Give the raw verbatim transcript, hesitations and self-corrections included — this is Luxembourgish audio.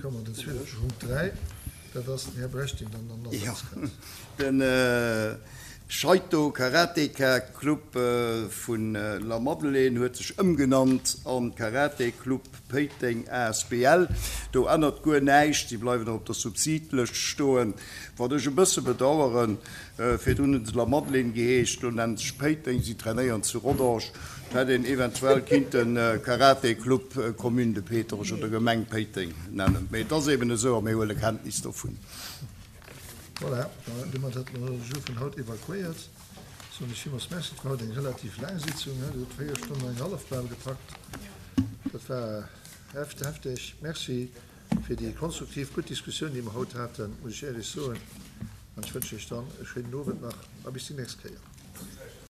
komme mer den zweeten Punkt dräi. Dat ass den Här Brecht, deen dann an den Asaz kënnt. Den Shaito Karateka Club vun Lamadelaine huet sech ëmgenannt an Karate Club Péiteng asbl. Do ännert guer näischt, si bleiwen och op der Subsidlëscht stoen. Wat ech e bësse bedaueren, virdrun hunn se Lamadelaine geheescht, elo nennen se sech Péiteng, si trainéieren zu Rodange. Et hätt een eventuell kinnten Karate Club Commune de Péiteng oder Gemeng Péiteng nennen. Mee et ass eben esou a mir huele Kenntnis dovun. Voilà, domat hätte mer de Jour vun haut evakuéiert. Soen ech villmools Merci. Et war haut eng relativ laang Sitzung, Dir hutt véier Stonnen an eng hallef bal gepackt. Dat war hefteg. Merci fir déi konstruktiv gutt Diskussioun, déi mer haut haten, muss ech éierlech soen. An ech wënschen Iech dann e schéinen Owend nach a bis déi nächst Kéier.